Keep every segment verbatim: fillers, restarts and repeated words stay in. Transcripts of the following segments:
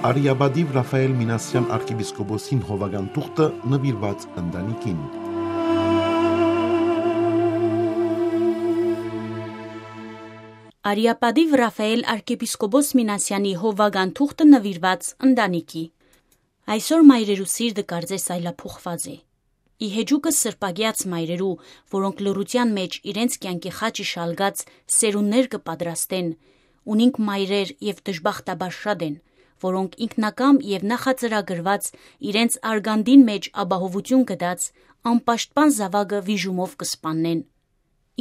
Արիապատիւ Ռաֆայէլ Մինասեան արքեպիսկոպոսին հովական թուղթը նուիրուած ընտանիքին։ Արիապատիւ Ռաֆայէլ արքեպիսկոպոս Մինասեանի հովական թուղթը նուիրուած ընտանիքի։ Այսօր մայրերու սիրտը կարծես այլափոխուած է։ Ի հեճուկս սրբագեաց մայրերու, որոնք լռութեան մէջ իրենց կեանքի խաչը շալկած սերունդներ կը պատրաստեն, ունինք մայրեր եւ դժբախտաբար շատ են, որոնք ինքնակամ եւ նախածրագրուած իրենց արգանդին մէջ ապահովութիւն գտած անպաշտպան զաւակը վիժումով կը սպաննեն։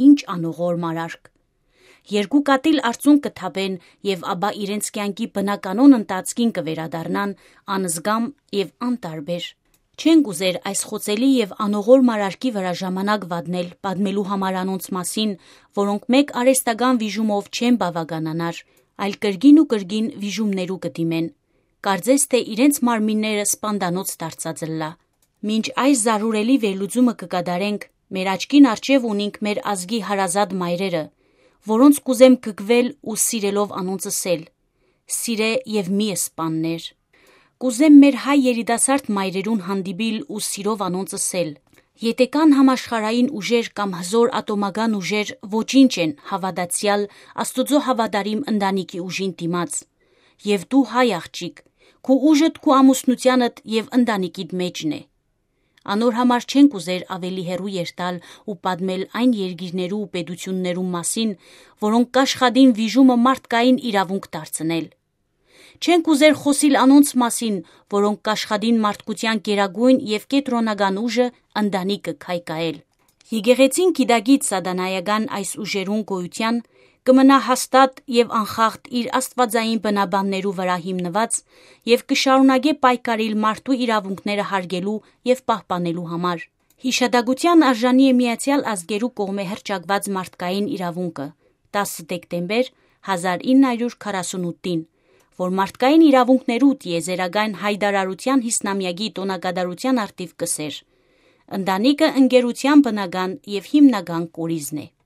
Ի՞նչ անողոր մարարք։ Երկու կատիլ արցունք կը թափեն եւ ապա իրենց կեանքի բնականոն ընթացքին կը վերադառնան անզգամ եւ անտարբեր։ Չենք ուզեր այս խոցելի եւ անողոր մարարքի վրայ ժամանակ վատնել՝ պատմելու համար անոնց մասին, որոնք մէկ արհեստական վիժումով չեն բաւականանար, այլ կրկին ու կրկին վիժումներու կը դիմեն։ Կարծես թէ իրենց մարմինները սպանդանոց դարձած ըլլայ։ Մինչ այս զարհուրելի վերլուծումը կը կատարենք, մեր աչքին առջեւ ունինք մեր ազգի հարազատ մայրերը, որոնց կ'ուզեմ կգվել ու սիրելով անոնց ըսել. «Սիրէ եւ մի սպաններ»։ Կ'ուզեմ մեր հայ երիտասարդ մայրերուն հանդիպիլ ու սիրով անոնց ըսել. «Եթէ կան համաշխարհային ուժեր կամ հզօր ատոմական ուժեր, ոչինչ են հաւատացեալ, Աստուծոյ հաւատարիմ ընտանիքի ուժին դիմաց։ Եւ դու, հայ աղջիկ, քու ուժդ քու ամուսնութեանդ եւ ընտանիքիդ մէջն է»։ Անոր համար չենք ուզեր աւելի հեռու երթալ ու պատմել այն երկիրներու ու պետութիւններու մասին, որոնք կ'աշխատին վիժումը մարդկային իրաւունք դարձնել։ Չենք ուզեր խօսիլ անոնց մասին, որոնք կ'աշխատին մարդկութեան գերագոյն եւ կեդրոնական ուժը ընտանիքը քայքայել։ Եկեղեցին գիտակից սատանայական այս ուժերուն գոյութեան կը մնայ հաստատ եւ անխախտ իր աստուածային բնաբաններու վրայ հիմնուած եւ կը շարունակէ պայքարիլ մարդու իրաւունքները յարգելու եւ պահպանելու համար։ Յիշատակութեան արժանի է Միացեալ Ազգերու կողմէ հռչակուած մարդկային իրաւունքը, տասը դեկտեմբեր հազար ինը հարիւր քառասունութին, որ մարդկային իրաւունքներու տիեզերական յայտարարութեան յիսնամեակի տօնակատարութեան առթիւ կ'ըսէր. «Ընտանիքը ընկերութեան բնական եւ հիմնական կորիզն է»։